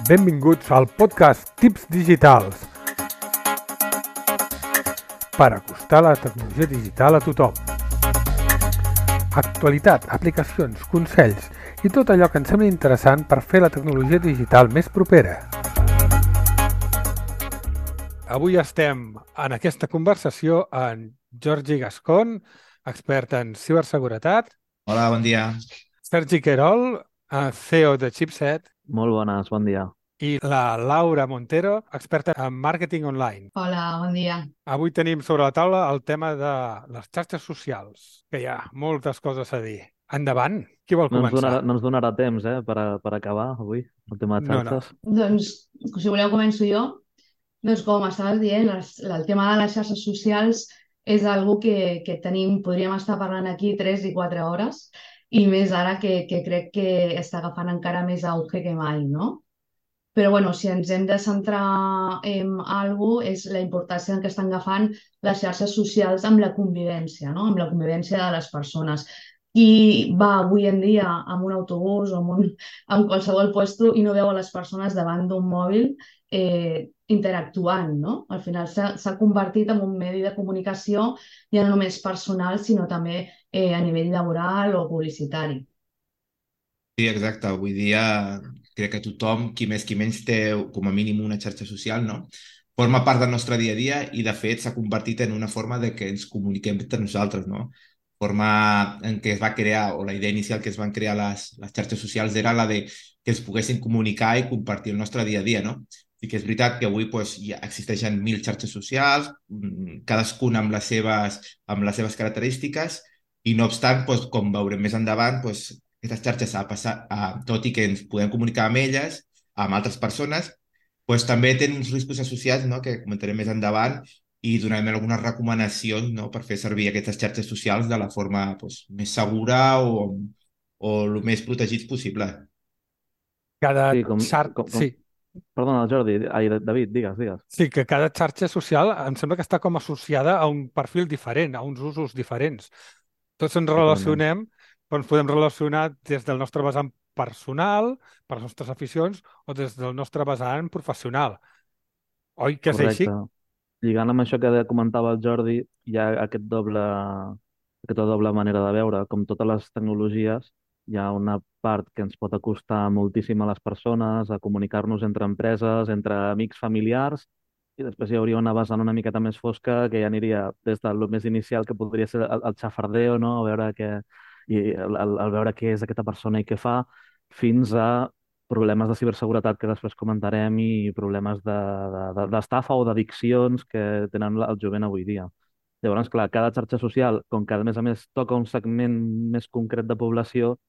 Benvinguts al podcast Tips Digitals per acostar la tecnologia digital a tothom. Actualitat, aplicacions, consells i tot allò que ens sembla interessant per fer la tecnologia digital més propera. Avui estem en aquesta conversació amb Jordi Gascon, expert en ciberseguretat, Hola, bon dia. Sergi Querol, CEO de Chipset, Molt bones, bon dia. i la Laura Montero, experta en màrqueting online. Hola, bon dia. Avui tenim sobre la taula el tema de les xarxes socials, que hi ha moltes coses a dir. Endavant, qui vol començar? No ens donarà temps, per acabar avui, el tema de xarxes. Doncs, si voleu, començo jo. Doncs, com estaves dient, el tema de les xarxes socials és algo que podríem estar parlant aquí 3 i 4 hores, i més ara que crec que està agafant encara més auge que mai, no? Però, bueno, si ens hem de centrar en alguna cosa, és la importància que estan agafant les xarxes socials amb la convivència, no? Amb la convivència de les persones. Qui va avui en dia amb un autobús o en qualsevol lloc i no veu a les persones davant d'un mòbil interactuant, no? Al final s'ha convertit en un medi de comunicació ja no només personal, sinó també a nivell laboral o publicitari. Sí, exacte. Avui dia crec que tothom, qui més qui menys, té com a mínim una xarxa social, no? Forma part del nostre dia a dia i, de fet, s'ha convertit en una forma de que ens comuniquem entre nosaltres, no? Forma en què es va crear, o la idea inicial que es van crear les xarxes socials era la de que ens poguessin comunicar i compartir el nostre dia a dia, no? I que és veritat que avui ja existeixen 1.000 xarxes socials, cadascuna amb les seves característiques, i no obstant, com veurem més endavant, aquestes xarxes, tot i que ens podem comunicar amb elles, amb altres persones, també tenen uns riscos associats, no?, que comentarem més endavant, i donarem algunes recomanacions, no?, per fer servir aquestes xarxes socials de la forma més segura o el més protegits possible. Sí. Perdona, Jordi, David, digues. Sí, que cada xarxa social em sembla que està com associada a un perfil diferent, a uns usos diferents. Tots ens relacionem, però ens podem relacionar des del nostre vessant personal, per les nostres aficions, o des del nostre vessant professional. Oi que és així? Correcte. Lligant amb això que comentava el Jordi, hi ha aquesta doble manera de veure. Com totes les tecnologies, hi ha una part que ens pot acostar moltíssim a les persones, a comunicar-nos entre empreses, entre amics, familiars, i després hi hauria una vessant una miqueta més fosca que ja aniria des del més inicial, que podria ser el xafardeo, no? A veure el veure què és aquesta persona i què fa, fins a problemes de ciberseguretat que després comentarem i problemes d'estafa o d'addiccions que tenen el jovent avui dia. Llavors, clar, cada xarxa social, com que a més toca un segment més concret de població,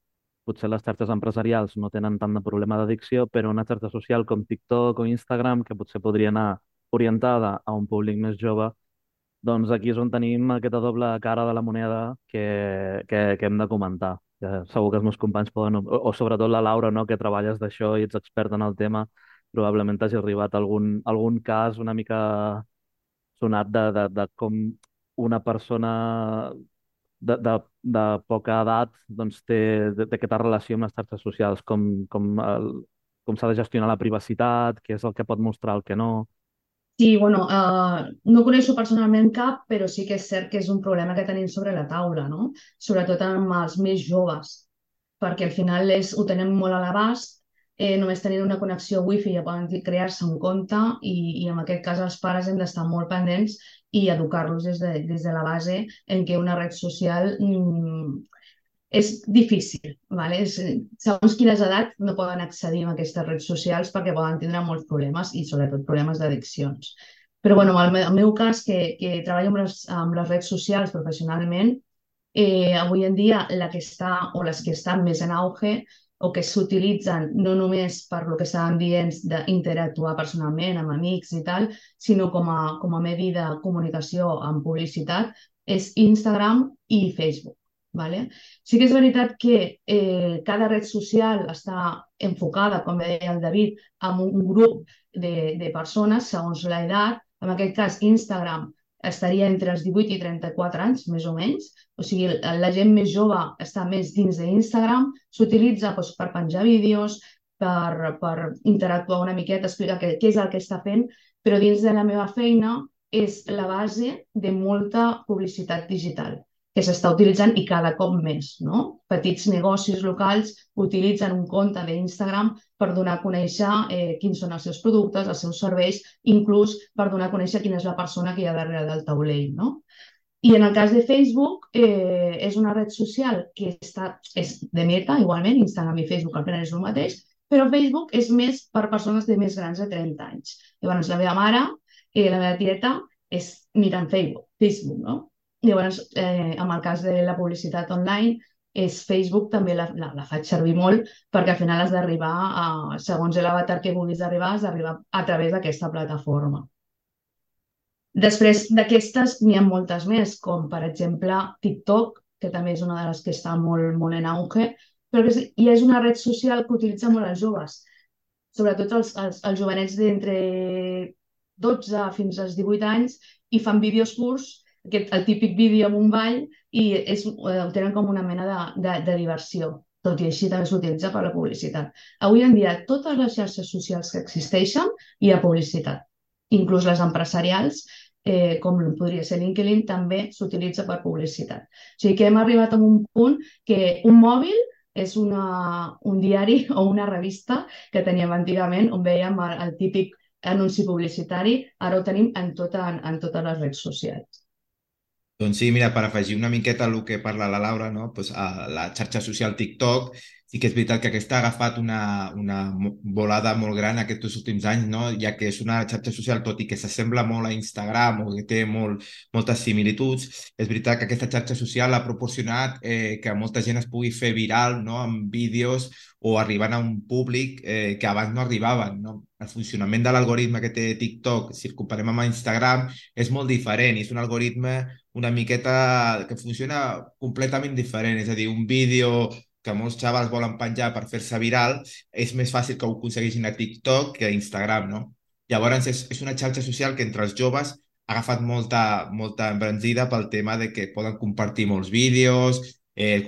potser les xarxes empresarials no tenen tant de problema d'addicció, però una xarxa social com TikTok o Instagram, que potser podria anar orientada a un públic més jove, doncs aquí és on tenim aquesta doble cara de la moneda que hem de comentar. Segur que els meus companys poden, o sobretot la Laura, no?, que treballes d'això i ets experta en el tema, probablement t'hagi arribat algun cas una mica sonat de com una persona de poca edat doncs, té aquesta relació amb les xarxes socials, com s'ha de gestionar la privacitat, què és el que pot mostrar, el que no. Sí, bueno, no coneixo personalment cap, però sí que és cert que és un problema que tenim sobre la taula, no? Sobretot amb els més joves, perquè al final ho tenen molt a l'abast, només tenint una connexió wifi ja poden crear-se un compte i en aquest cas els pares hem d'estar molt pendents i educar-los des de la base en què una red social és difícil, ¿vale? Segons quines edats no poden accedir a aquestes redes socials perquè poden tindre molts problemes i sobretot problemes d'addiccions. Però bueno, en el meu cas, que treballo amb les redes socials professionalment, avui en dia les que estan més en auge o que s'utilitzen no només per lo que estàvem dient d'interactuar personalment amb amics i tal, sinó com a medi de comunicació amb publicitat, és Instagram i Facebook. Vale? Sí que és veritat que cada red social està enfocada, com deia el David, en un grup de persones segons l'edat. En aquest cas, Instagram estaria entre els 18 i 34 anys, més o menys. O sigui, la gent més jove està més dins d'Instagram, s'utilitza per penjar vídeos, per interactuar una miqueta, explicar què és el que està fent, però dins de la meva feina és la base de molta publicitat digital que s'està utilitzant i cada cop més, no? Petits negocis locals utilitzen un compte d'Instagram per donar a conèixer quins són els seus productes, els seus serveis, inclús per donar a conèixer quina és la persona que hi ha darrere del taulell, no? I en el cas de Facebook, és una red social que és de Meta, igualment, Instagram i Facebook al final és el mateix, però Facebook és més per persones de més grans de 30 anys. Llavors, la meva mare, la meva tieta, miren Facebook, no? Llavors, en el cas de la publicitat online, Facebook també la faig servir molt perquè al final has d'arribar, segons l'avatar que vulguis arribar, has d'arribar a través d'aquesta plataforma. Després d'aquestes n'hi ha moltes més, com per exemple TikTok, que també és una de les que està molt, molt en auge, però i és una red social que utilitza molt els joves, sobretot els jovenets d'entre 12 fins als 18 anys, i fan vídeos curts, el típic vídeo amb un ball, i ho tenen com una mena de diversió. Tot i així també s'utilitza per la publicitat. Avui en dia, totes les xarxes socials que existeixen hi ha publicitat. Inclús les empresarials, com podria ser LinkedIn, també s'utilitza per publicitat. O sigui que hem arribat a un punt que un mòbil és un diari o una revista que teníem antigament, on vèiem el típic anunci publicitari, ara ho tenim en totes les redes socials. Doncs sí, mira, per afegir una miqueta el que parla la Laura, no? Pues, a la xarxa social TikTok, sí que és veritat que aquesta ha agafat una volada molt gran aquests últims anys, no? Ja que és una xarxa social, tot i que s'assembla molt a Instagram o que té moltes similituds, és veritat que aquesta xarxa social ha proporcionat que molta gent es pugui fer viral, no? Amb vídeos o arribant a un públic que abans no arribaven, no? El funcionament de l'algoritme que té TikTok, si el comparem amb Instagram, és molt diferent i és un algoritme una miqueta que funciona completament diferent, és a dir, un vídeo que molts xavals volen penjar per fer-se viral, és més fàcil que ho aconsegueixin a TikTok que a Instagram, no? Llavors és una xarxa social que entre els joves ha agafat molta embranzida pel tema de que poden compartir molts vídeos,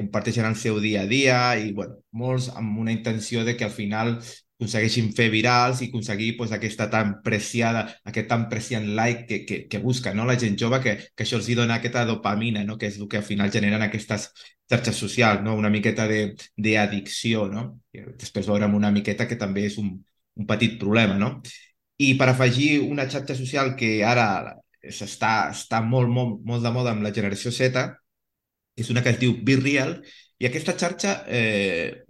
comparteixen el seu dia a dia i, bueno, molts amb una intenció de que al final aconsegueixin fer virals i aconseguir pues, aquest tan preciant like que busca, no? La gent jove, que això els dona aquesta dopamina, no? Que és el que al final generen aquestes xarxes socials, no? Una miqueta d'addicció, no? I després veurem una miqueta que també és un petit problema, no? I per afegir una xarxa social que ara està molt de moda amb la generació Z, és una que es diu Be Real, i aquesta xarxa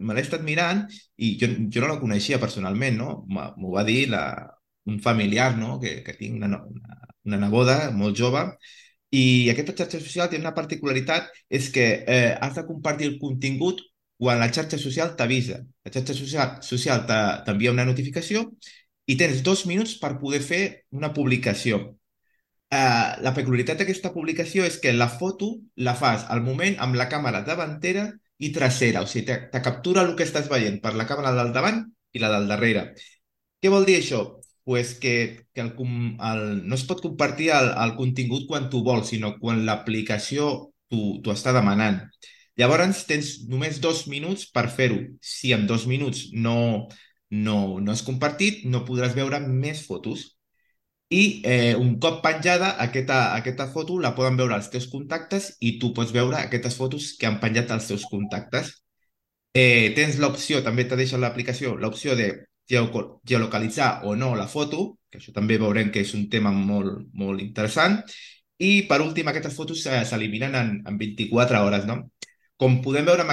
me l'he estat mirant i jo no la coneixia personalment, no? M'ho va dir un familiar, no? Que tinc una neboda molt jove, i aquesta xarxa social té una particularitat, és que has de compartir el contingut quan la xarxa social t'avisa. La xarxa social t'envia una notificació i tens 2 minuts per poder fer una publicació. La peculiaritat d'aquesta publicació és que la foto la fas al moment amb la càmera davantera i trasera, o sigui, te captura el que estàs veient per la càmera del davant i la del darrere. Què vol dir això? Pues que no es pot compartir el contingut quan tu vols, sinó quan l'aplicació t'ho està demanant. Llavors tens només 2 minuts per fer-ho. Si en 2 minuts no has compartit, no podràs veure més fotos. I un cop penjada, aquesta foto la poden veure els teus contactes i tu pots veure aquestes fotos que han penjat els teus contactes. Tens l'opció, també te deixa l'aplicació, l'opció de geolocalitzar o no la foto, que això també veurem que és un tema molt, molt interessant. I, per últim, aquestes fotos s'eliminen en 24 hores, no? Com podem veure amb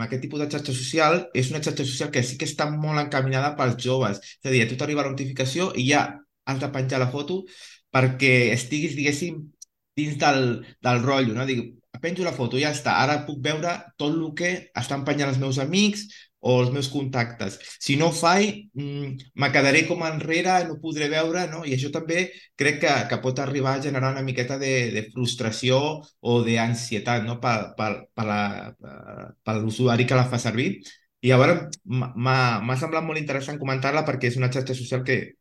aquest tipus de xarxa social, és una xarxa social que sí que està molt encaminada pels joves. És a dir, a tu t'arriba la notificació i ja has de penjar la foto perquè estiguis, diguéssim, dins del rotllo, no? Dic, penjo la foto, ja està. Ara puc veure tot el que estan penjant els meus amics o els meus contactes. Si no ho faig, me quedaré com enrere, no podré veure, no? I això també crec que pot arribar a generar una miqueta de frustració o d'ansietat, no? Per l'usuari que la fa servir. I llavors m'ha semblat molt interessant comentar-la perquè és una xarxa social que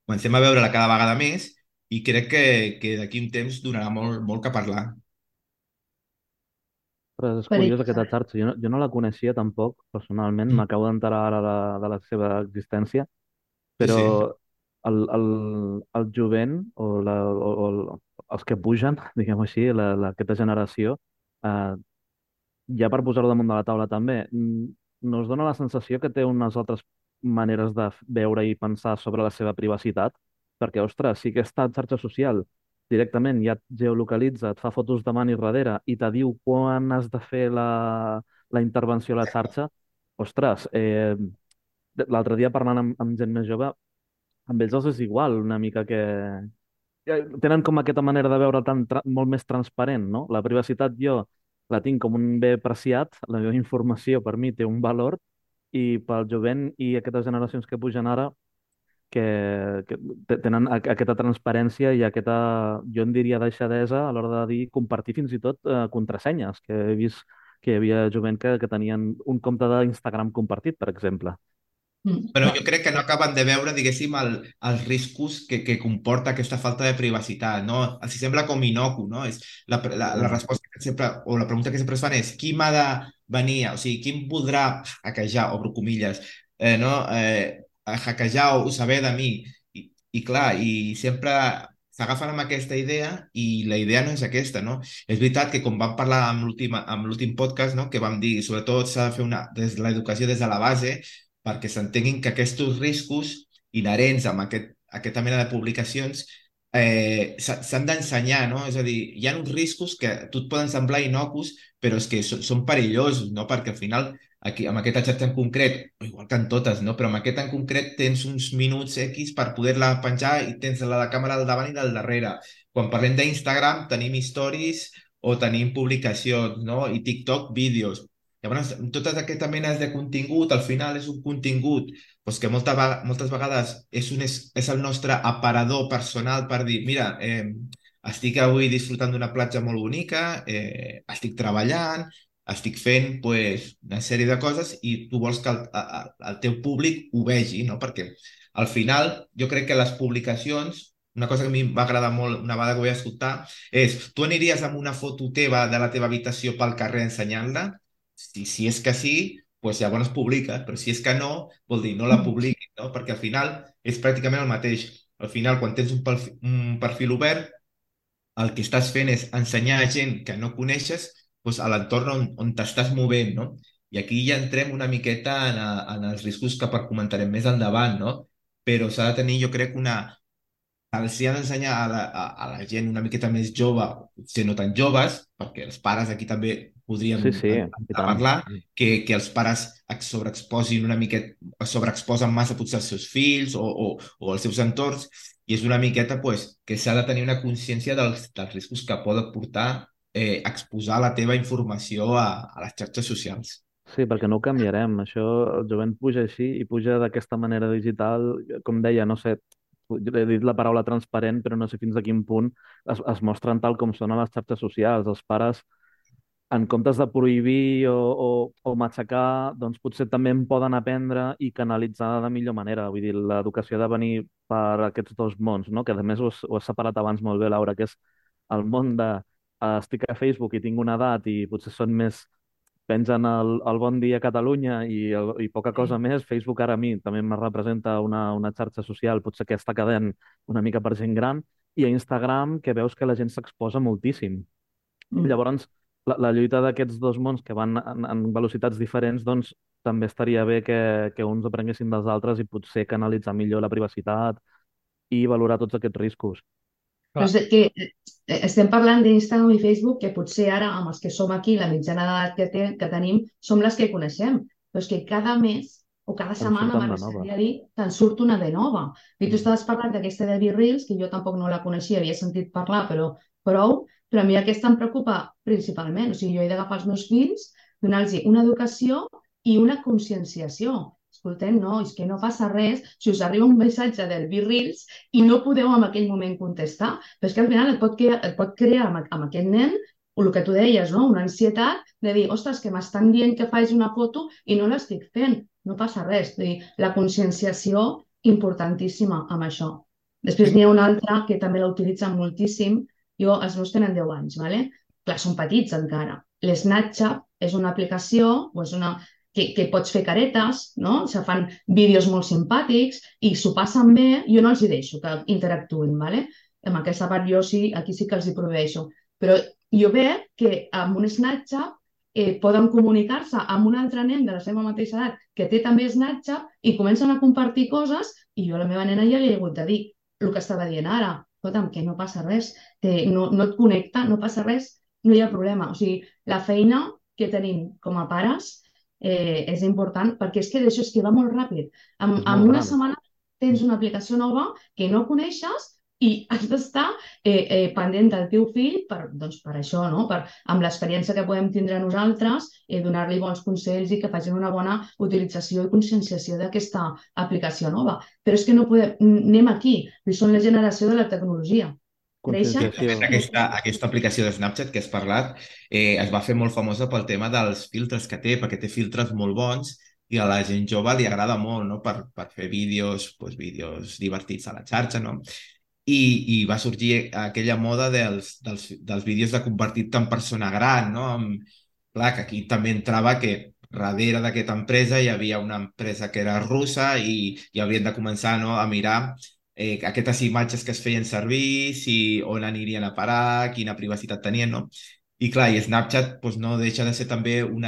comencem a veure-la cada vegada més i crec que d'aquí un temps donarà molt que parlar. Però és per curiós ells. aquesta xarxa. Jo no la coneixia tampoc, personalment. Mm. M'acabo d'enterar ara de la seva existència, Sí, però sí. el jovent o els que pugen, diguem-ho així, aquesta generació, eh, ja per posar-ho damunt de la taula també, no us dona la sensació que té unes altres maneres de veure i pensar sobre la seva privacitat? Perquè, ostres, si aquesta xarxa social directament ja et geolocalitza, et fa fotos davant i darrere i te diu quan has de fer la intervenció a la xarxa, ostres, l'altre dia parlant amb gent més jove, amb ells els és igual una mica que tenen com aquesta manera de veure molt més transparent, no? La privacitat jo la tinc com un bé preciat, la meva informació per mi té un valor i pel jovent i aquestes generacions que pugen ara que tenen aquesta transparència i aquesta, jo en diria, deixadesa a l'hora de dir, compartir fins i tot contrasenyes, que he vist que hi havia jovent que tenien un compte d'Instagram compartit, per exemple. Però Clar. jo crec que no acaben de veure, diguéssim, els riscos que comporta aquesta falta de privacitat, no? Els sembla com inocu, no? És la Ja. resposta que sempre, o la pregunta que sempre es fan és qui m'ha de venir, o sigui, qui em podrà hackejar, obro comilles, no? Hackejar o saber de mi. I clar, i sempre s'agafen amb aquesta idea i la idea no és aquesta, no? És veritat que com vam parlar amb l'últim podcast, no? Que vam dir, sobretot s'ha de fer l'educació des de la base, perquè s'entenguin que aquests riscos inherents amb aquesta mena de publicacions s'han d'ensenyar, no? És a dir, hi ha uns riscos que a tu et poden semblar innocus, però és que són perillosos, no? Perquè al final, aquí, amb aquesta xarxa en concret, o igual que en totes, no? Però amb aquesta en concret tens uns minuts X per poder-la penjar i tens la de càmera al davant i del darrere. Quan parlem d'Instagram tenim stories o tenim publicacions, no? I TikTok, vídeos. Llavors, totes aquestes menes de contingut, al final és un contingut doncs que moltes vegades és el nostre aparador personal per dir, mira, estic avui disfrutant d'una platja molt bonica, estic treballant, estic fent pues, una sèrie de coses i tu vols que el teu públic ho vegi, no? Perquè al final jo crec que les publicacions, una cosa que a mi em va agradar molt una vegada que ho vaig escoltar, és tu aniries amb una foto teva de la teva habitació pel carrer ensenyant-la? Si és que sí, pues llavors publica, però si és que no, vol dir no la publiqui, no? Perquè al final és pràcticament el mateix. Al final, quan tens un perfil obert, el que estàs fent és ensenyar a gent que no coneixes doncs, a l'entorn on t'estàs movent, no? I aquí ja entrem una miqueta en els riscos que comentarem més endavant, no? Però s'ha de tenir, jo crec, els hi ha d'ensenyar a la gent una miqueta més jove, potser no tan joves, perquè els pares aquí també podríem Sí, sí, i tant. parlar, que els pares es sobreexposin una miqueta, es sobreexposen massa potser als seus fills o als seus entorns, i és una miqueta pues, que s'ha de tenir una consciència dels riscos que poden portar exposar la teva informació a les xarxes socials. Sí, perquè no ho canviarem. Això, el jovent puja així i puja d'aquesta manera digital, com deia, no sé, he dit la paraula transparent, però no sé fins a quin punt es mostren tal com són a les xarxes socials. Els pares, en comptes de prohibir o matxacar, doncs potser també en poden aprendre i canalitzar de millor manera. Vull dir, l'educació ha de venir per aquests dos mons, no? Que a més ho has separat abans molt bé, Laura, que és el món de estic a Facebook i tinc una edat i potser són més pengen el Bon Dia Catalunya i poca cosa més. Facebook ara a mi també me representa una xarxa social, potser que està quedant una mica per gent gran, i a Instagram que veus que la gent s'exposa moltíssim. Llavors, la lluita d'aquests dos mons que van en velocitats diferents, doncs també estaria bé que uns aprenguessin dels altres i potser canalitzar millor la privacitat i valorar tots aquests riscos. Però Clar. és que estem parlant d'Instagram i Facebook, que potser ara, amb els que som aquí, la mitjana d'edat que tenim, som les que coneixem. Però és que cada mes o cada En setmana, surten de m'arribaria noves. a dir, te'n surt una de nova. I tu Mm. estaves parlant d'aquesta de Reels, que jo tampoc no la coneixia, havia sentit parlar, però prou. Però a mi aquesta em preocupa principalment. O sigui, jo he d'agafar els meus fills, donar-los una educació i una conscienciació. Escoltem, no, és que no passa res si us arriba un missatge del Reels i no podeu en aquell moment contestar. Però és que al final et pot crear amb aquest nen o el que tu deies, no? Una ansietat de dir, ostres, que m'estan dient que faig una foto i no l'estic fent. No passa res. Vull dir, la conscienciació importantíssima amb això. Després n'hi ha una altra que també la utilitzen moltíssim. Els meus tenen 10 anys, ¿vale? Clar, són petits encara. l'Snapchat és una aplicació o és que pots fer caretes, no? Se fan vídeos molt simpàtics i s'ho passen bé. Jo no els hi deixo que interactuïn, ¿vale? En aquesta part jo sí, aquí sí que els hi proveeixo. Però jo veig que amb un Snapchat poden comunicar-se amb un altre nen de la seva mateixa edat que té també Snapchat i comencen a compartir coses i jo a la meva nena ja li he hagut de dir el que estava dient ara. Escolta'm, que no passa res, no et connecta, no passa res, no hi ha problema. O sigui, la feina que tenim com a pares és important perquè és que d'això és que va molt ràpid. És En molt una gran. setmana tens una aplicació nova que no coneixes i has d'estar pendent del teu fill doncs per això, no? Amb l'experiència que podem tindre nosaltres, donar-li bons consells i que facin una bona utilització i conscienciació d'aquesta aplicació nova. Però és que no podem, anem aquí, són la generació de la tecnologia. Creixen. Conscienciació. Aquesta aplicació de Snapchat que has parlat es va fer molt famosa pel tema dels filtres que té, perquè té filtres molt bons i a la gent jove li agrada molt, no? Per fer vídeos, doncs, vídeos divertits a la xarxa, no? I va sorgir aquella moda dels vídeos de compartit en persona gran, no? Clar, que aquí també entrava que darrere d'aquesta empresa hi havia una empresa que era russa i havien de començar, no, a mirar aquestes imatges que es feien servir, on anirien a parar, quina privacitat tenien, no? I clar, i Snapchat doncs, no deixa de ser també un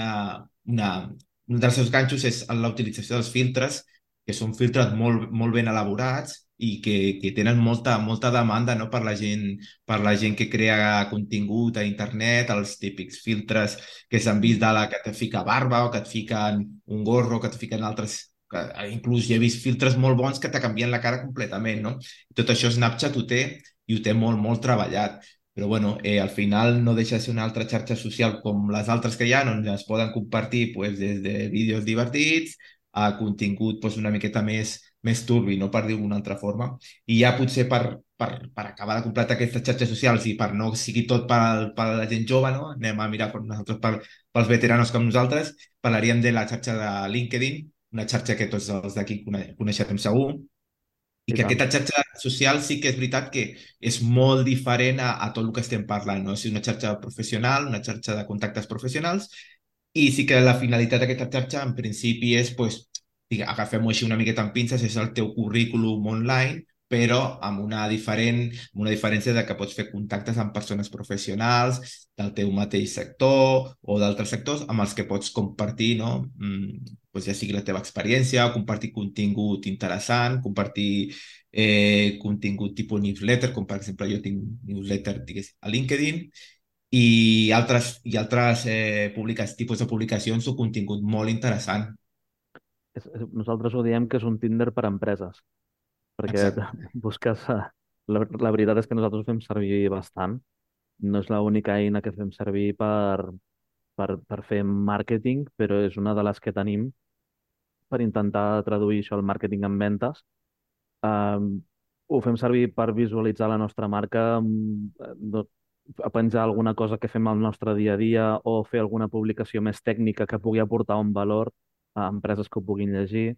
dels seus ganxos és la utilització dels filtres, que són filtres molt ben elaborats i que tenen molta demanda, no? Per la gent que crea contingut a internet, els típics filtres que s'han vist de la que et fica barba o que et fiquen un gorro, que et fiquen altres inclús hi he vist filtres molt bons que te canvien la cara completament, no? I tot això Snapchat ho té i ho té molt treballat. Però bueno, al final no deixa de ser una altra xarxa social com les altres que hi ha, on es poden compartir pues, des de vídeos divertits a contingut pues, una miqueta més turbi, no per dir-ho d'una altra forma. I ja potser per acabar de completar aquestes xarxes socials i per no sigui tot per la gent jove, no? Anem a mirar per nosaltres, pels veteranos com nosaltres, parlaríem de la xarxa de LinkedIn, una xarxa que tots els d'aquí coneixem segur, i I que tant. aquesta xarxa social sí que és veritat que és molt diferent a tot el que estem parlant, no? És una xarxa professional, una xarxa de contactes professionals, i sí que la finalitat d'aquesta xarxa en principi és, pues, agafem-ho així una miqueta amb pinces, és el teu currículum online, però amb una diferència de que pots fer contactes amb persones professionals del teu mateix sector o d'altres sectors amb els que pots compartir, no? Doncs ja sigui la teva experiència, compartir contingut interessant, compartir contingut tipus newsletter, com per exemple jo tinc newsletter a LinkedIn, i altres tipus de publicacions o contingut molt interessant. Nosaltres ho diem que és un Tinder per a empreses, perquè Exacte. busques... La veritat és que nosaltres ho fem servir bastant. No és l'única eina que fem servir per fer màrqueting, però és una de les que tenim per intentar traduir això al màrqueting en ventes. Ho fem servir per visualitzar la nostra marca, a penjar alguna cosa que fem al nostre dia a dia o fer alguna publicació més tècnica que pugui aportar un valor a empreses que ho puguin llegir,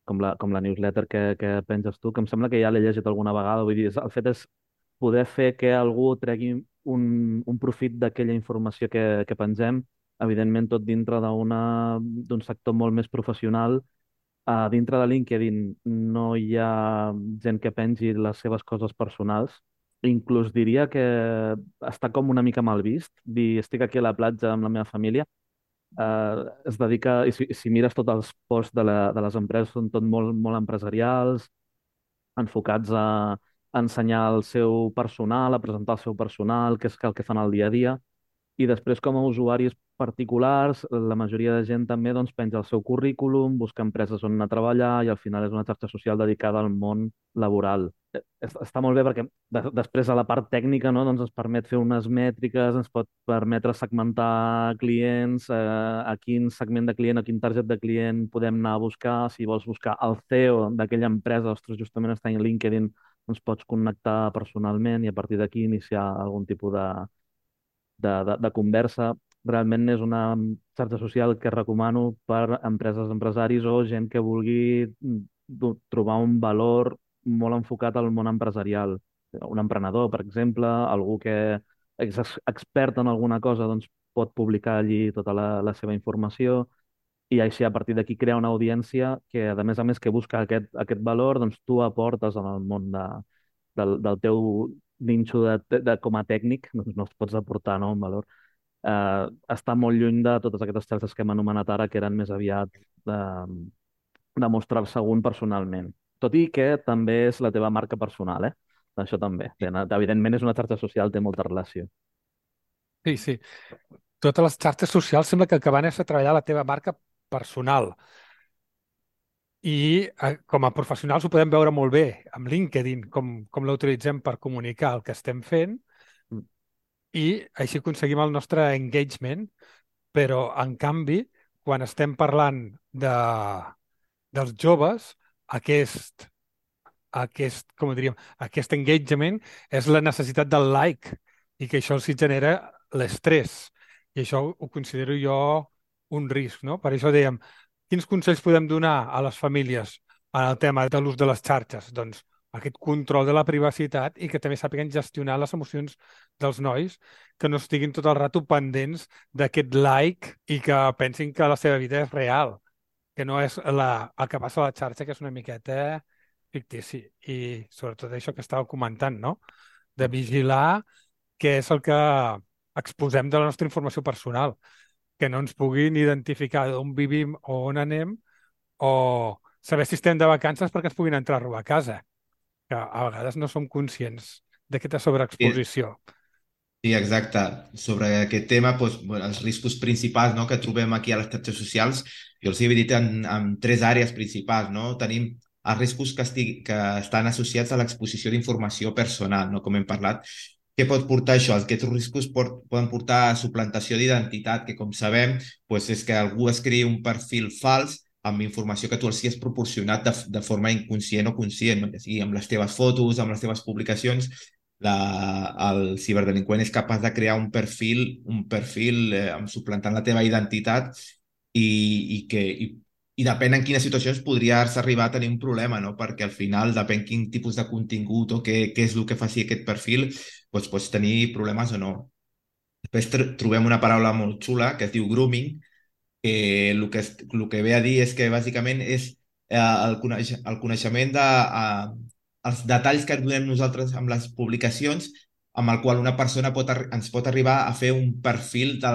com la newsletter que penges tu, que em sembla que ja l'he llegit alguna vegada. Vull dir, el fet és poder fer que algú tregui un profit d'aquella informació que pengem, evidentment tot dintre d'un sector molt més professional. Dintre de LinkedIn no hi ha gent que pengi les seves coses personals. Inclús diria que està com una mica mal vist dir estic aquí a la platja amb la meva família. Es dedica, i si mires tots els posts de les empreses, són tot molt empresarials, enfocats a ensenyar el seu personal, a presentar el seu personal, que és el que fan al dia a dia. I després, com a usuaris particulars, la majoria de gent també doncs, penja el seu currículum, busca empreses on anar a treballar i al final és una xarxa social dedicada al món laboral. Està molt bé perquè després a la part tècnica, no, doncs ens permet fer unes mètriques, ens pot permetre segmentar clients, a quin segment de client, a quin target de client podem anar a buscar. Si vols buscar el CEO d'aquella empresa, ostres, justament està en LinkedIn, doncs pots connectar personalment i a partir d'aquí iniciar algun tipus de conversa. Realment és una xarxa social que recomano per empreses, empresaris o gent que vulgui trobar un valor molt enfocat al món empresarial. Un emprenedor, per exemple, algú que és expert en alguna cosa, doncs pot publicar allí tota la seva informació i així a partir d'aquí crear una audiència que, a més, que busca aquest valor, doncs tu aportes en el món del teu ninxo com a tècnic, doncs no es pots aportar, no, un valor. Està molt lluny de totes aquestes xarxes que hem anomenat ara, que eren més aviat de, de mostrar-se un personalment. Tot i que també és la teva marca personal, eh? Això també. Evidentment és una xarxa social, té molta relació. Sí, sí. Totes les xarxes socials sembla que el que van és a treballar la teva marca personal. I com a professionals ho podem veure molt bé amb LinkedIn, com la utilitzem per comunicar el que estem fent i així aconseguim el nostre engagement, però en canvi, quan estem parlant dels joves, com ho diríem, aquest engagement és la necessitat del like i que això els hi genera l'estrès. I això ho considero jo un risc, no? Per això dèiem, quins consells podem donar a les famílies en el tema de l'ús de les xarxes? Doncs aquest control de la privacitat i que també sàpiguen gestionar les emocions dels nois, que no estiguin tot el rato pendents d'aquest like i que pensin que la seva vida és real, que no és el que passa a la xarxa, que és una miqueta fictici. I sobretot això que estàveu comentant, no? De vigilar què és el que exposem de la nostra informació personal, que no ens puguin identificar d'on vivim o on anem o saber si estem de vacances perquè ens puguin entrar a robar a casa, que a vegades no som conscients d'aquesta Sí, sobreexposició. sí, exacte. Sobre aquest tema, doncs, bueno, els riscos principals, no, que trobem aquí a les xarxes socials, jo els he dividit en tres àrees principals. No? Tenim els riscos que estan associats a l'exposició d'informació personal, no? Com hem parlat. Què pot portar això? Aquests riscos poden portar a suplantació d'identitat, que com sabem doncs és que algú es creï un perfil fals amb informació que tu els has proporcionat de forma inconscient o conscient, no? Ja sigui amb les teves fotos, amb les teves publicacions, el ciberdelinqüent és capaç de crear un perfil suplantant la teva identitat i depèn en quines situacions podries arribar a tenir un problema, no? Perquè al final depèn quin tipus de contingut o què és el que faci aquest perfil, doncs pots tenir problemes o no. Després trobem una paraula molt xula que es diu grooming, que el que ve a dir és que bàsicament és el coneixement de els detalls que donem nosaltres amb les publicacions amb el qual una persona ens pot arribar a fer un perfil de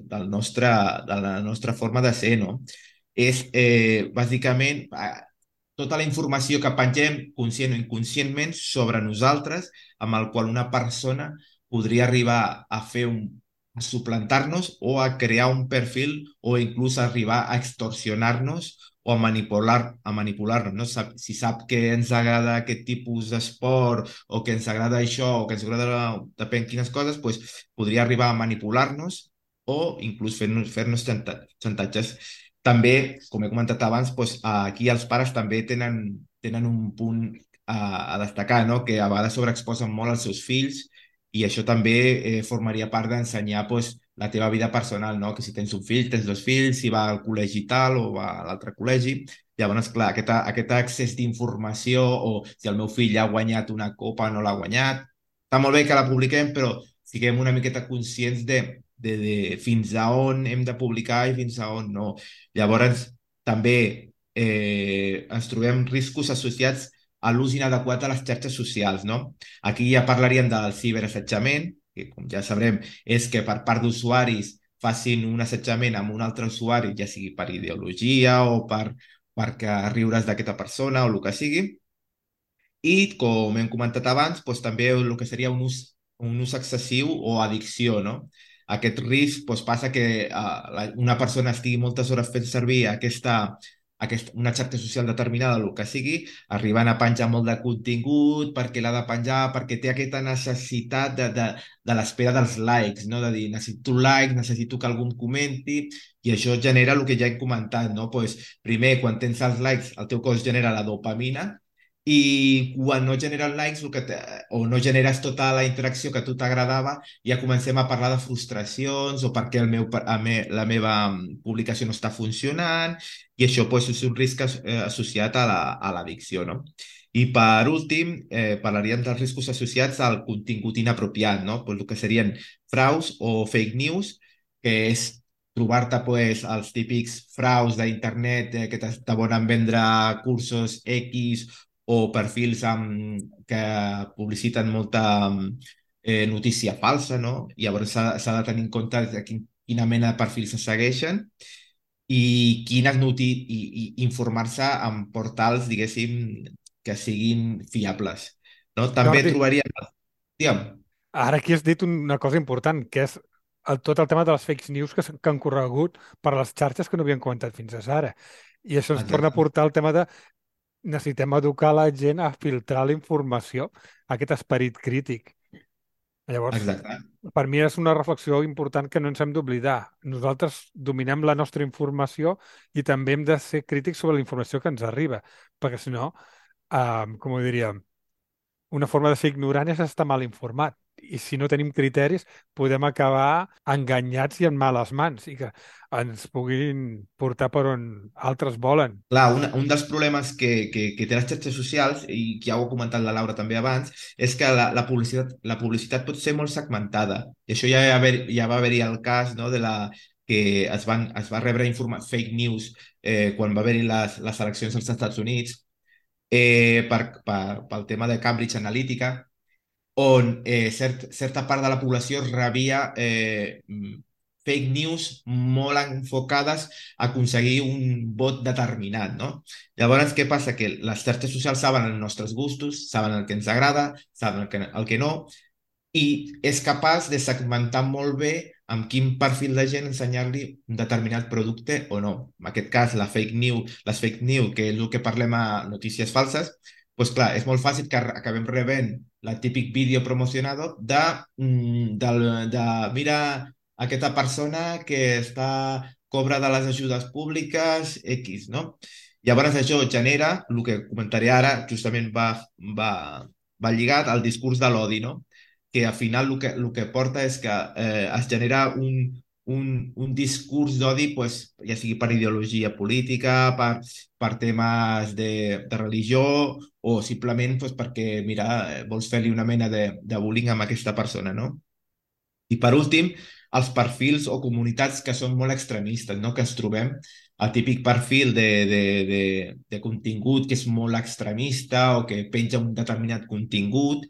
la nostra forma de ser, no? És bàsicament tota la informació que pengem conscient o inconscientment sobre nosaltres amb el qual una persona podria arribar a suplantar-nos o a crear un perfil o inclús arribar a extorsionar-nos o a manipular-nos. No? Si sap que ens agrada aquest tipus d'esport o que ens agrada això o que ens agrada depèn quines coses, doncs podria arribar a manipular-nos o inclús fer-nos xantatges. També, com he comentat abans, doncs, aquí els pares també tenen un punt a destacar, no? Que a vegades sobreexposen molt els seus fills i això també formaria part d'ensenyar doncs, la teva vida personal, no? Que si tens un fill, tens dos fills, si va al col·legi tal o va a l'altre col·legi. Llavors, clar, aquest accés d'informació o si el meu fill ha guanyat una copa o no l'ha guanyat, està molt bé que la publiquem, però siguem una miqueta conscients de fins a on hem de publicar i fins a on no. Llavors, també ens trobem riscos associats a l'ús inadequat de les xarxes socials, no? Aquí ja parlaríem del ciberassetjament, que com ja sabrem és que per part d'usuaris facin un assetjament amb un altre usuari, ja sigui per ideologia o perquè riures d'aquesta persona o el que sigui. I, com hem comentat abans, doncs, també el que seria un ús excessiu o addicció, no? Aquest risc doncs, passa que una persona estigui moltes hores fent servir una xarxa social determinada, el que sigui, arribant a penjar molt de contingut perquè l'ha de penjar, perquè té aquesta necessitat de l'espera dels likes, no? De dir, necessito un like, necessito que algú em comenti, i això genera el que ja hem comentat, no? Pues, primer, quan tens els likes, el teu cos genera la dopamina, i quan no generen likes o no generes tota la interacció que a tu t'agradava, ja comencem a parlar de frustracions o perquè la meva publicació no està funcionant, i això pues, és un risc associat a l'addicció, no? I per últim, parlaríem dels riscos associats al contingut inapropiat, no? Pues el que serien fraus o fake news, que és trobar-te pues, els típics fraus d'internet que te volen vendre cursos X o perfils que publiciten molta notícia falsa, no? Llavors s'ha de tenir en compte de quina mena de perfils se segueixen i i informar-se en portals, diguéssim, que siguin fiables. No? També Jordi, trobaria... Digue'm. ara aquí has dit una cosa important, que és tot el tema de les fake news que han corregut per les xarxes que no havien comentat fins ara. I això ens torna a Exacte. portar al tema de necessitem educar la gent a filtrar la informació, aquest esperit crític. Llavors, Exacte. per mi és una reflexió important que no ens hem d'oblidar. Nosaltres dominem la nostra informació i també hem de ser crítics sobre la informació que ens arriba, perquè si no, com ho diria, una forma de ser ignorant és estar mal informat. I si no tenim criteris, podem acabar enganyats i en males mans i que ens puguin portar per on altres volen. Clar, un dels problemes que té les xarxes socials, i que ja ho ha comentat la Laura també abans, és que la publicitat pot ser molt segmentada. I això ja va haver-hi el cas, no, de que es va rebre fake news quan va haver-hi les eleccions als Estats Units pel tema de Cambridge Analytica, on certa part de la població rebia fake news molt enfocades a aconseguir un vot determinat, no? Llavors, què passa? Que les xarxes socials saben els nostres gustos, saben el que ens agrada, saben el que no, i és capaç de segmentar molt bé amb quin perfil de gent ensenyar-li un determinat producte o no. En aquest cas, les fake news, que és el que parlem a notícies falses, doncs clar, és molt fàcil que acabem rebent el típic vídeo promocionado de mira aquesta persona que cobra de les ajudes públiques X, no? Llavors això genera, el que comentaré ara, justament va lligat al discurs de l'odi, no? Que al final el que porta és que es genera un discurs d'odi, pues, ja sigui per ideologia política, per temes de religió o simplement pues, perquè, mira, vols fer-li una mena de bullying amb aquesta persona, no? I per últim, els perfils o comunitats que són molt extremistes, no? Que ens trobem el típic perfil de contingut que és molt extremista o que penja un determinat contingut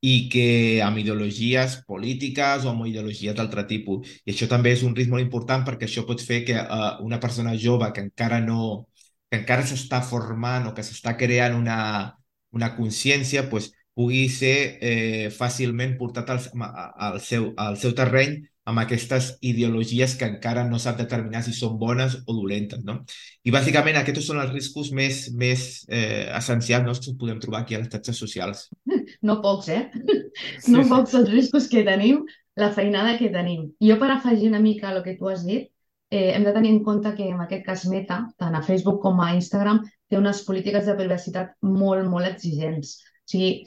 i que amb ideologies polítiques o amb ideologies d'altre tipus. I això també és un risc molt important perquè això pot fer que una persona jove que encara s'està formant o que s'està creant una consciència, pues, pugui ser fàcilment portat al seu terreny amb aquestes ideologies que encara no sap determinar si són bones o dolentes, no? I bàsicament aquests són els riscos més essencials, no, que podem trobar aquí a les xarxes socials. No pocs, eh? Sí, No sí. pocs els riscos que tenim, la feinada que tenim. Jo, per afegir una mica el que tu has dit, hem de tenir en compte que en aquest cas Meta, tant a Facebook com a Instagram, té unes polítiques de privacitat molt, molt exigents. O sigui,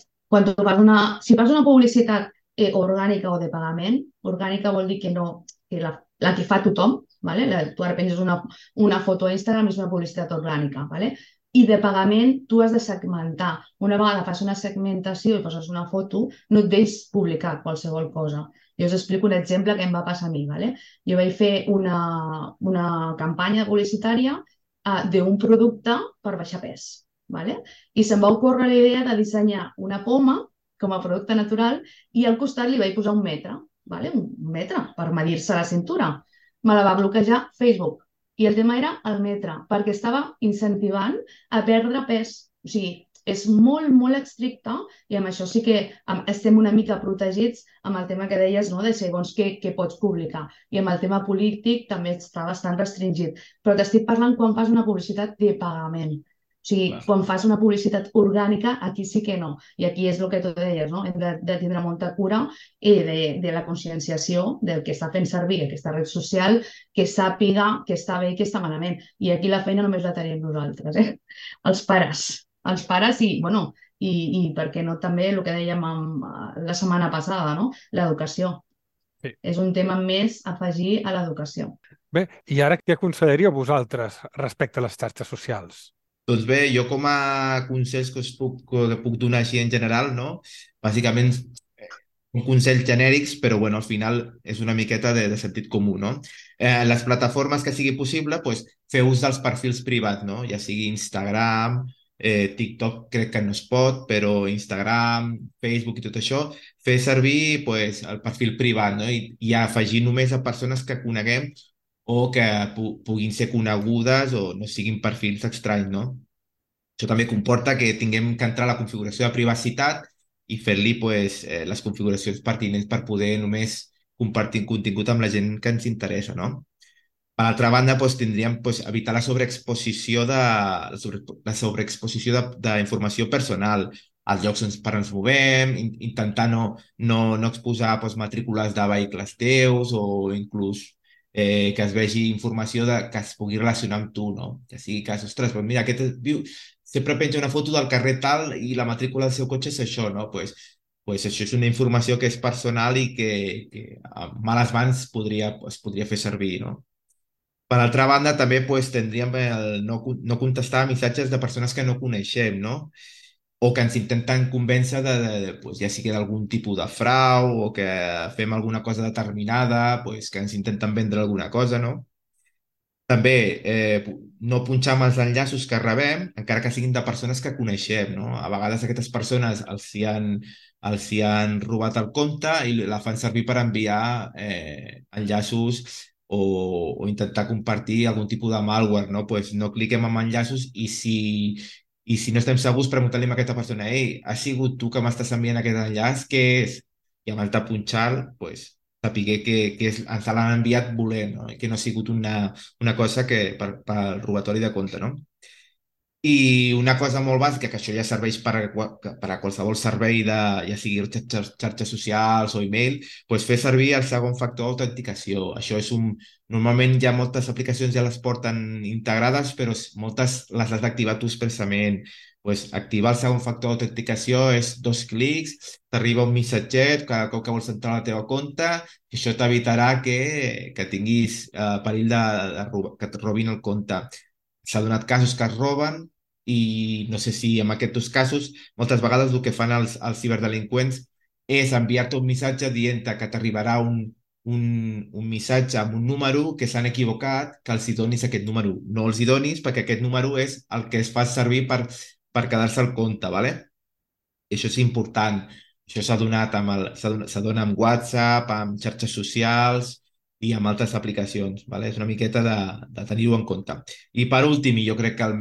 si fas una publicitat orgànica o de pagament, orgànica vol dir que no, que la que fa tothom, ¿vale? Tu ara penses una foto a Instagram, és una publicitat orgànica, ¿vale? I de pagament tu has de segmentar. Una vegada fas una segmentació i poses una foto, no et deixes publicar qualsevol cosa. Jo us explico un exemple que em va passar a mi. ¿Vale? Jo vaig fer una campanya publicitària d'un producte per baixar pes. ¿Vale? I se'm va ocórrer la idea de dissenyar una poma com a producte natural i al costat li vaig posar un metre. ¿Vale? Un metre per medir-se la cintura. Me la va bloquejar Facebook. I el tema era el metre, perquè estava incentivant a perdre pes. O sigui, és molt, molt estricte i amb això sí que estem una mica protegits amb el tema que deies, no? De segons què pots publicar. I amb el tema polític també està bastant restringit. Però t'estic parlant quan fas una publicitat de pagament. O sigui, quan fas una publicitat orgànica, aquí sí que no. I aquí és el que tu deies, no? Hem de tindre molta cura de la conscienciació del que està fent servir aquesta red social, que sàpiga què està bé i què està malament. I aquí la feina només la tenim nosaltres, els pares. Els pares bueno, i per què no també el que dèiem la setmana passada, no? L'educació. Sí. És un tema més a afegir a l'educació. Bé, i ara què aconsellaríeu vosaltres respecte a les xarxes socials? Doncs bé, jo com a consells que puc donar així en general, no? Bàsicament, consells genèrics, però bueno, al final és una miqueta de sentit comú, no? Les plataformes que sigui possible, pues, fer ús dels perfils privats, no? Ja sigui Instagram, TikTok crec que no es pot, però Instagram, Facebook i tot això, fer servir pues, el perfil privat, no? I afegir només a persones que coneguem o que puguin ser conegudes o no siguin perfils estranys, no? Això també comporta que tinguem que entrar a la configuració de privacitat i fer-li pues, les configuracions pertinents per poder només compartir contingut amb la gent que ens interessa, no? Per altra banda, doncs, tindríem doncs, evitar la sobreexposició d'informació personal als llocs per ens movem, intentar no exposar doncs, matrícules de vehicles teus o inclús que es vegi informació que es pugui relacionar amb tu, no? Que sigui que, ostres, doncs mira, sempre penja una foto del carrer tal i la matrícula del seu cotxe és això, no? Pues això és una informació que és personal i que a males mans es podria fer servir, no? Per altra banda, també pues, tindríem el no contestar a missatges de persones que no coneixem, no? O que ens intenten convèncer pues, ja sigui d'algun tipus de frau o que fem alguna cosa determinada, pues, que ens intenten vendre alguna cosa, no? També no punxar amb els enllaços que rebem, encara que siguin de persones que coneixem, no? A vegades aquestes persones els hi han robat el compte i la fan servir per enviar enllaços o intentar compartir algun tipus de malware, no? Pues no cliquem en enllaços i si no estem segurs, preguntem-li a aquesta persona, ei, has sigut tu que m'estàs enviant aquest enllaç? Què és? I amb el de punxar, pues, sapiguer que ens l'han enviat volent, no? I que no ha sigut una cosa que per robatori de compte, no? I una cosa molt bàsica, que això ja serveix per a qualsevol servei, ja sigui xarxes socials o email, doncs fer servir el segon factor d'autenticació. Normalment ja moltes aplicacions ja les porten integrades, però moltes les has d'activar tu expressament. Pues activar el segon factor d'autenticació és 2 clics, t'arriba un missatget cada cop que vols entrar a la teva compte i això t'evitarà que tinguis perill que et robin el compte. S'ha donat casos que es roben i no sé si en aquests casos moltes vegades el que fan els ciberdelinqüents és enviar-te un missatge dient-te que t'arribarà un missatge amb un número que s'han equivocat, que els hi donis aquest número. No els hi donis perquè aquest número és el que es fa servir per quedar-se al compte, ¿vale? I això és important. Això s'ha donat amb WhatsApp, amb xarxes socials i amb altres aplicacions, ¿vale? És una miqueta de tenir-ho en compte. I per últim, i jo crec que el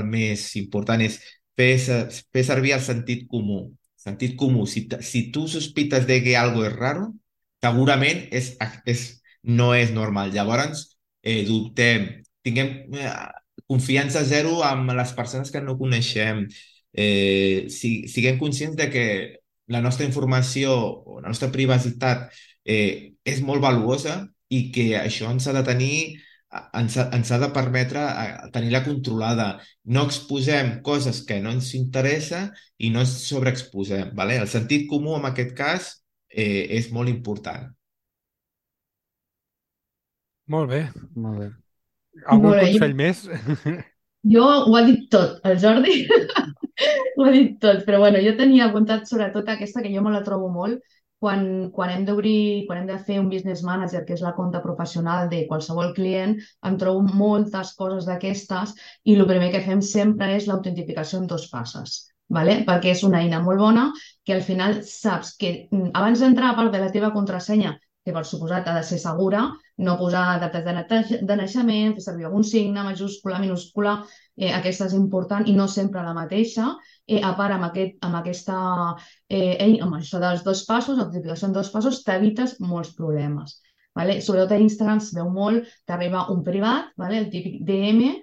més important és fer servir el sentit comú. Sentit comú. Si tu sospites de que algo és raro, segurament no és normal. Llavors, dubtem, tinguem confiança zero amb les persones que no coneixem. Siguem conscients de que la nostra informació o la nostra privacitat és molt valuosa i que això ens ha de tenir, ens ha de permetre tenir-la controlada. No exposem coses que no ens interessa i no ens sobreexposem. ¿Vale? El sentit comú en aquest cas és molt important. Molt bé. Molt bé. Algun Molt bé, consell més? jo ho ha dit tot, el Jordi ho ha dit tot, però bueno, jo tenia apuntat sobretot aquesta que jo me la trobo molt quan hem de fer un business manager, que és la compta professional de qualsevol client, em trobo moltes coses d'aquestes i el primer que fem sempre és l'autentificació en 2 passes. ¿Vale? Perquè és una eina molt bona que al final saps que abans d'entrar a part de la teva contrasenya, que per suposat ha de ser segura, no posar dates de naixement, fer servir algun signe, majúscula, minúscula, aquesta és important i no sempre la mateixa. A part, amb això dels 2 passos, l'autentificació en 2 passos, t'evites molts problemes. ¿Vale? Sobretot a Instagram es veu molt, t'arriba un privat, ¿vale? El típic DM,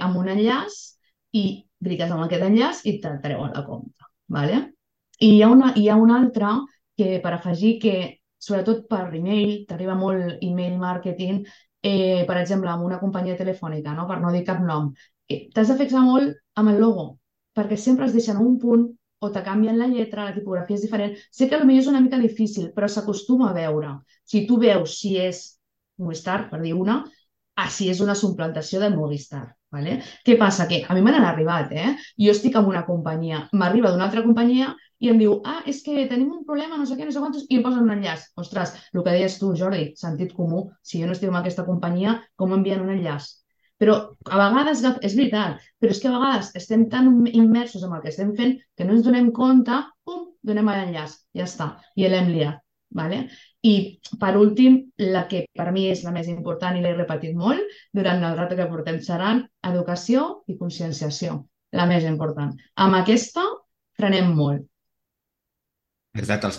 amb un enllaç i cliques amb aquest enllaç i te'l treuen la compte. ¿Vale? I hi ha una altra que per afegir que sobretot per e-mail, t'arriba molt email marketing, per exemple, amb una companyia telefònica, no? Per no dir cap nom. T'has de fixar molt amb el logo, perquè sempre es deixen un punt o te canvien la lletra, la tipografia és diferent. Sé que potser és una mica difícil, però s'acostuma a veure. Si tu veus si és Movistar, per dir una, si és una suplantació de Movistar. Vale? Què passa? Que a mi me n'han arribat, eh? Jo estic en una companyia, m'arriba d'una altra companyia i em diu, és que tenim un problema, no sé què, no sé quantos, i em posen un enllaç. Ostres, el que deies tu, Jordi, sentit comú, si jo no estic en aquesta companyia, com m'envien un enllaç? Però a vegades, és veritat, però és que a vegades estem tan immersos en el que estem fent que no ens donem compte, pum, donem a l'enllaç, ja està, i l'hem liat. Vale? I per últim, la que per mi és la més important i l'he repetit molt durant el rato que portem xerrant, educació i conscienciació, la més important. Amb aquesta frenem molt. Exacte, els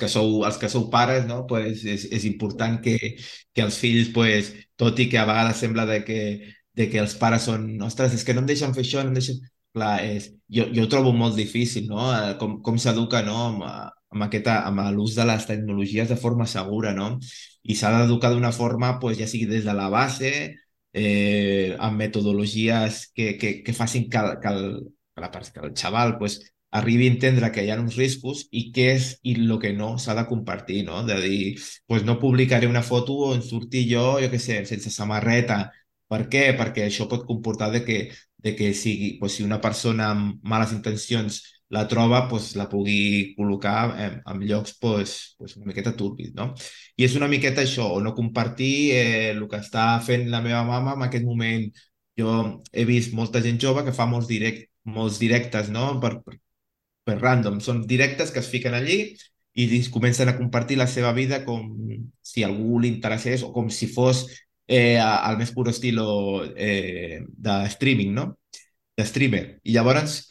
que sou pares, no? Pues és important que els fills, pues, tot i que a vegades sembla de que els pares són, ostres, és que no em deixen fer això, no em deixen... Clar, jo ho trobo molt difícil, no? Com s'educa, no? Amb l'ús de les tecnologies de forma segura, no? I s'ha d'educar d'una forma, pues, ja sigui des de la base, amb metodologies que facin que el xaval, pues, arribi a entendre que hi ha uns riscos i què és i el que no s'ha de compartir, no? De dir, pues no publicaré una foto on surti jo què sé, sense samarreta. Per què? Perquè això pot comportar de que sigui, pues, si una persona amb males intencions la troba, pues, la pugui col·locar en llocs pues, una miqueta turbis, no? I és una miqueta això, o no compartir el que està fent la meva mama en aquest moment. Jo he vist molta gent jove que fa molts directes, no? Per random. Són directes que es fiquen allí i comencen a compartir la seva vida com si a algú li interessés o com si fos al més pur estilo de streaming, no? De streamer. I llavors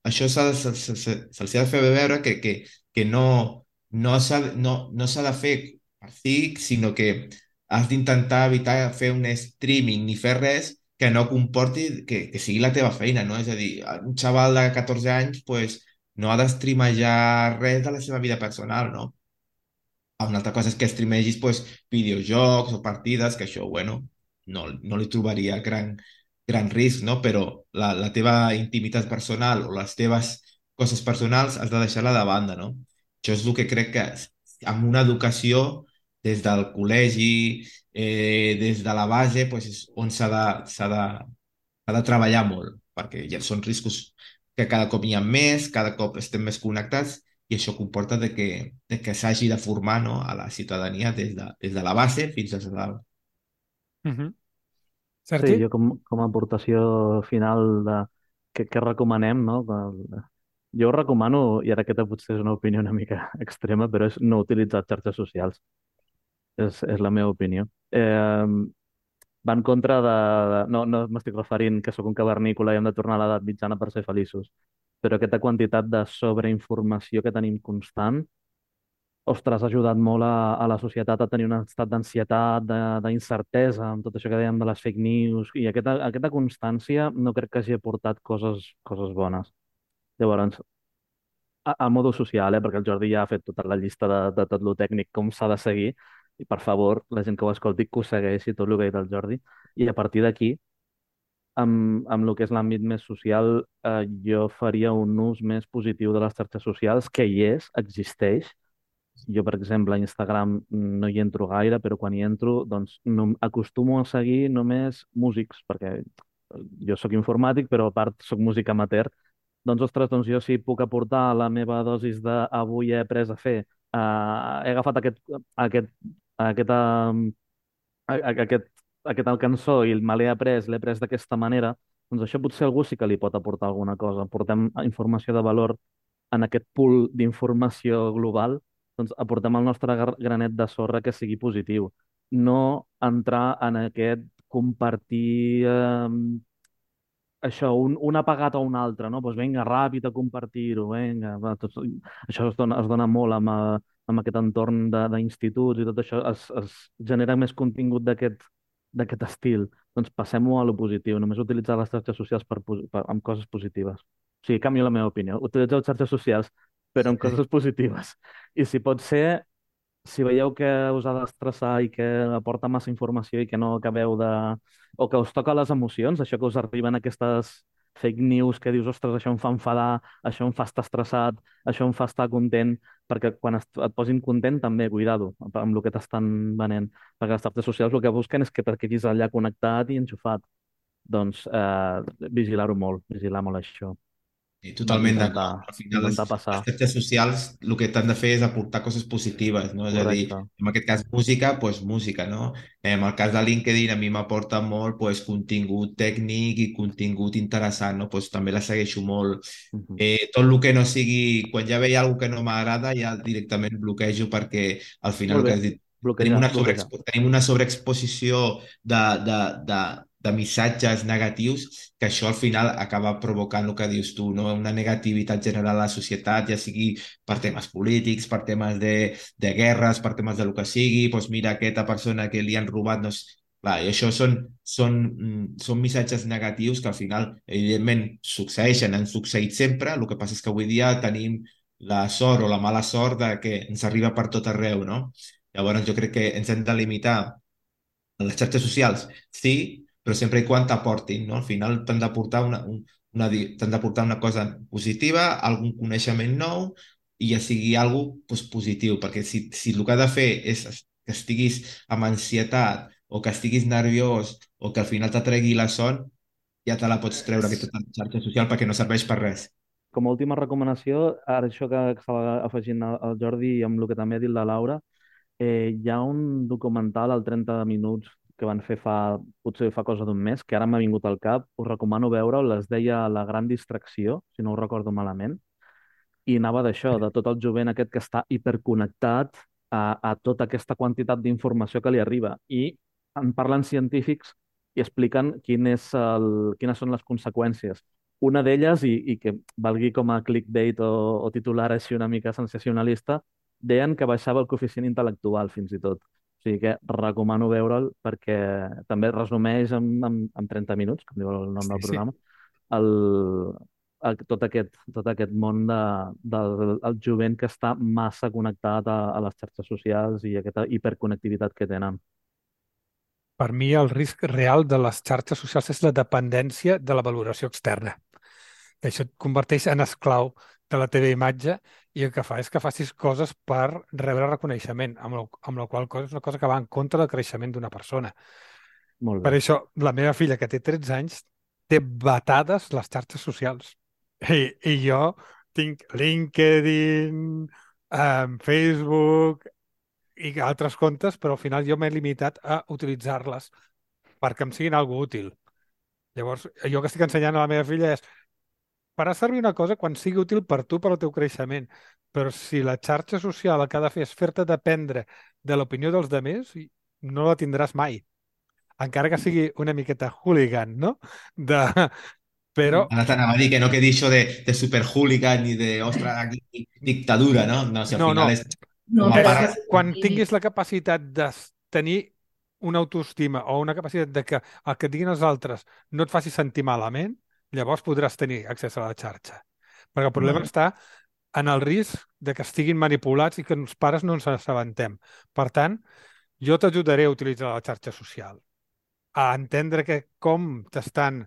això se'ls ha de fer veure que no s'ha de fer per fi, sinó que has d'intentar evitar fer un streaming ni fer res que no comporti que sigui la teva feina, no? És a dir, un xaval de 14 anys, pues, no ha d'estreamejar res de la seva vida personal, no? Una altra cosa és que streamegis pues, videojocs o partides, que això, bueno, no li trobaria gran risc, no? Però la teva intimitat personal o les teves coses personals has de deixar-la de banda, no? Això és el que crec que amb una educació des del col·legi, des de la base, pues, és on s'ha de treballar molt, perquè ja són riscos que cada cop hi ha més, cada cop estem més connectats i això comporta de que s'hagi de formar, no, a la ciutadania des de la base fins a dalt. Mhm. Sí, Sergi? jo com a aportació final de què recomanem, no? Jo recomano, i ara aquesta potser és una opinió una mica extrema, però és no utilitzar xarxes socials. És la meva opinió. Va en contra no m'estic referint que sóc un cavernícola i hem de tornar a l'edat mitjana per ser feliços, però aquesta quantitat de sobreinformació que tenim constant, ostres, ha ajudat molt a la societat a tenir un estat d'ansietat, d'incertesa, amb tot això que dèiem de les fake news, i aquesta constància no crec que hagi aportat coses bones. Llavors, a modo social, perquè el Jordi ja ha fet tota la llista de tot lo tècnic, com s'ha de seguir, i per favor, la gent que ho escolti, que ho segueixi tot el que ha dit el Jordi, i a partir d'aquí, amb el que és l'àmbit més social, jo faria un ús més positiu de les xarxes socials, que hi és, existeix. Jo, per exemple, a Instagram no hi entro gaire, però quan hi entro, doncs, no, acostumo a seguir només músics, perquè jo sóc informàtic, però a part sóc músic amateur. Doncs, ostres, doncs jo sí puc aportar la meva dosis de avui he après a fer. He agafat aquest, aquesta, aquest, aquesta cançó i me l'he après d'aquesta manera, doncs això potser a algú sí que li pot aportar alguna cosa. Portem informació de valor en aquest pool d'informació global, doncs aportem el nostre granet de sorra que sigui positiu. No entrar en aquest compartir això, un ha pagat a un altre, no? Doncs vinga, ràpid a compartir-ho, vinga. Va, això es dona molt amb aquest entorn d'instituts i tot això, es genera més contingut d'aquest estil. Doncs passem-ho a lo positiu, només utilitzar les xarxes socials amb coses positives. O sigui, canvio la meva opinió. Utilitzeu les xarxes socials, però amb coses positives. I si pot ser, si veieu que us ha d'estressar i que aporta massa informació i que no acabeu de... o que us toca les emocions, això que us arriben aquestes fake news que dius, ostres, això em fa enfadar, això em fa estar estressat, això em fa estar content, perquè quan et posin content també, cuidado, amb el que t'estan venent, perquè les xarxes socials el que busquen és que et quedis allà connectat i enxufat. doncs vigilar-ho molt, vigilar molt això. Sí, totalment Intentar, d'acord. Al final, intentar les passar. xarxes socials el que t'han de fer és aportar coses positives, no? És a dir, Correcte. en aquest cas música, doncs música, no? En el cas de LinkedIn a mi m'aporta molt doncs, contingut tècnic i contingut interessant, no? Doncs també la segueixo molt. Tot el que no sigui... Quan ja veia alguna que no m'agrada, ja directament bloquejo perquè al final Molt el que bé, has dit, bloquejar, bloquejar. tenim una sobreexposició de missatges negatius que això al final acaba provocant el que dius tu, no? Una negativitat general a la societat, ja sigui per temes polítics, per temes de guerres, per temes de lo que sigui, doncs mira aquesta persona que li han robat, no sé. Clar, i això són missatges negatius que al final, evidentment, succeeixen, han succeït sempre, el que passa és que avui dia tenim la sort o la mala sort de que ens arriba per tot arreu, no? Llavors jo crec que ens hem de limitar a les xarxes socials, sí, però sempre i quan t'aportin, no? Al final t'han d'aportar t'han d'aportar una cosa positiva, algun coneixement nou i ja sigui algo doncs, positiu, perquè si el que ha de fer és que estiguis amb ansietat o que estiguis nerviós o que al final t'atregui la son, ja te la pots treure aquesta xarxa social perquè no serveix per res. Com a última recomanació, ara això que estava afegint el Jordi i amb el que també ha dit la Laura, hi ha un documental al 30 minuts que van fer potser fa cosa d'un mes, que ara m'ha vingut al cap, us recomano veure'l, es deia La gran distracció, si no ho recordo malament, i anava d'això, de tot el jovent aquest que està hiperconnectat a tota aquesta quantitat d'informació que li arriba. I en parlen científics i expliquen quines són les conseqüències. Una d'elles, i que valgui com a clickbait o titular així una mica sensacionalista, deien que baixava el coeficient intel·lectual, fins i tot. O sigui que recomano veure'l perquè també resumeix en 30 minuts, com diu el nom Sí, del sí. programa, el, tot aquest món del jovent que està massa connectat a les xarxes socials i aquesta hiperconnectivitat que tenen. Per mi el risc real de les xarxes socials és la dependència de la valoració externa. Que això et converteix en esclau de la teva imatge i el que fa és que facis coses per rebre reconeixement, amb la qual cosa és una cosa que va en contra del creixement d'una persona. Molt Per bé. això, la meva filla, que té 13 anys, té vetades les xarxes socials. I jo tinc LinkedIn, Facebook i altres comptes, però al final jo m'he limitat a utilitzar-les perquè em siguin algo útil. Llavors, jo que estic ensenyant a la meva filla és farà servir una cosa quan sigui útil per tu, per al teu creixement. Però si la xarxa social el que ha de fer és fer-te dependre de l'opinió dels demés, no la tindràs mai. Encara que sigui una miqueta hooligan, no? De... Però Ara t'anava a dir que no quedi això de superhooligan ni de, ostres, aquí dictadura, no? No, si al no, final no. és No, com a però És part... que que sigui quan un límit. tinguis la capacitat de tenir una autoestima o una capacitat de que el que et diguin els altres no et faci sentir malament, llavors podràs tenir accés a la xarxa. Perquè el problema Vale. està en el risc de que estiguin manipulats i que els pares no ens assabentem. Per tant, jo t'ajudaré a utilitzar la xarxa social, a entendre que com t'estan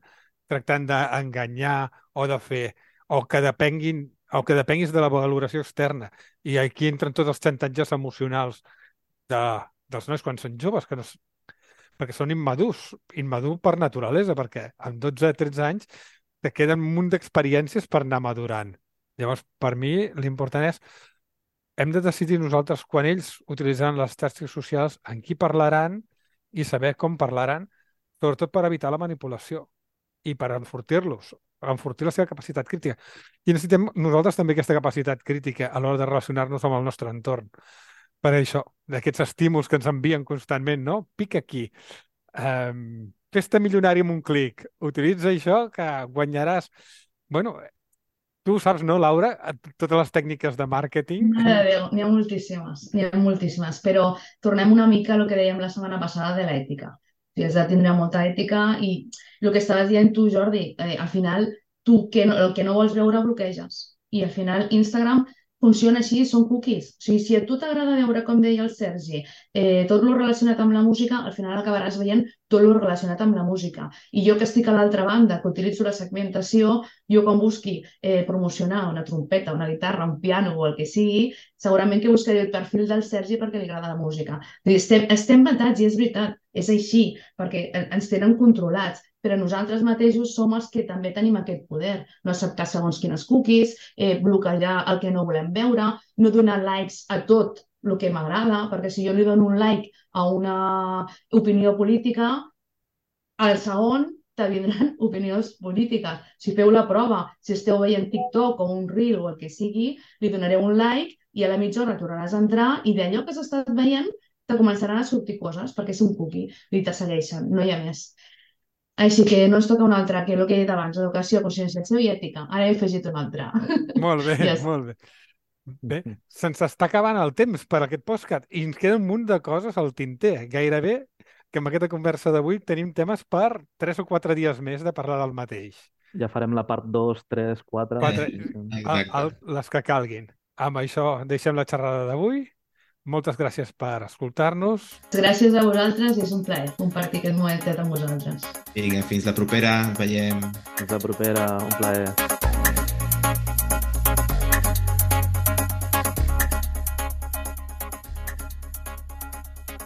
tractant d'enganyar o de fer, o que depenguis de la valoració externa. I aquí entren tots els xantatges emocionals de, dels nois quan són joves, que no, perquè són immadurs, immadurs per naturalesa, perquè amb 12-13 anys te queden un munt d'experiències per anar madurant. Llavors, per mi, l'important és hem de decidir nosaltres quan ells utilitzaran les xarxes socials, en qui parlaran i saber com parlaran, sobretot per evitar la manipulació i per enfortir-los, per enfortir la seva capacitat crítica. I necessitem nosaltres també aquesta capacitat crítica a l'hora de relacionar-nos amb el nostre entorn. Per això, d'aquests estímuls que ens envien constantment, no? Pica aquí, fes-te milionari amb un clic, utilitza això que guanyaràs... Bueno, tu ho saps, no, Laura? Totes les tècniques de màrqueting. Mare de Déu, n'hi ha moltíssimes, però tornem una mica a el que dèiem la setmana passada de l'ètica. O sigui, has de tindre molta ètica i el que estaves dient tu, Jordi, al final tu el que no vols veure bloqueges i al final Instagram funciona així, són cookies. O sigui, si a tu t'agrada veure, com deia el Sergi, tot lo relacionat amb la música, al final acabaràs veient tot lo relacionat amb la música. I jo que estic a l'altra banda, que utilitzo la segmentació, jo quan busqui promocionar una trompeta, una guitarra, un piano o el que sigui, segurament que buscaré el perfil del Sergi perquè li agrada la música. Estem matats i és veritat, és així, perquè ens tenen controlats, però nosaltres mateixos som els que també tenim aquest poder. No acceptar segons quines cookies, bloquejar el que no volem veure, no donar likes a tot el que m'agrada, perquè si jo li dono un like a una opinió política, al segon te vindran opinions polítiques. Si feu la prova, si esteu veient TikTok o un reel o el que sigui, li donareu un like i a la mitja hora tornaràs a entrar i d'allò que s'ha estat veient te començaran a sortir coses perquè és un cookie i te segueixen, no hi ha més. Així que no ens toca un altre, que el que he dit abans, educació, conscienciació i ètica. Ara he afegit un altre. Molt bé, Ja està. molt bé. Bé, se'ns està acabant el temps per aquest podcast i ens queda un munt de coses al tinter. Gairebé que amb aquesta conversa d'avui tenim temes per 3 o 4 dies més de parlar del mateix. Ja farem la part 2, 3, 4... Quatre, Exacte. les que calguin. Amb això deixem la xerrada d'avui. Moltes gràcies per escoltar-nos. Gràcies a vosaltres i és un plaer compartir aquest momentet amb vosaltres. Vinga, fins la propera, ens veiem. Fins la propera, un plaer.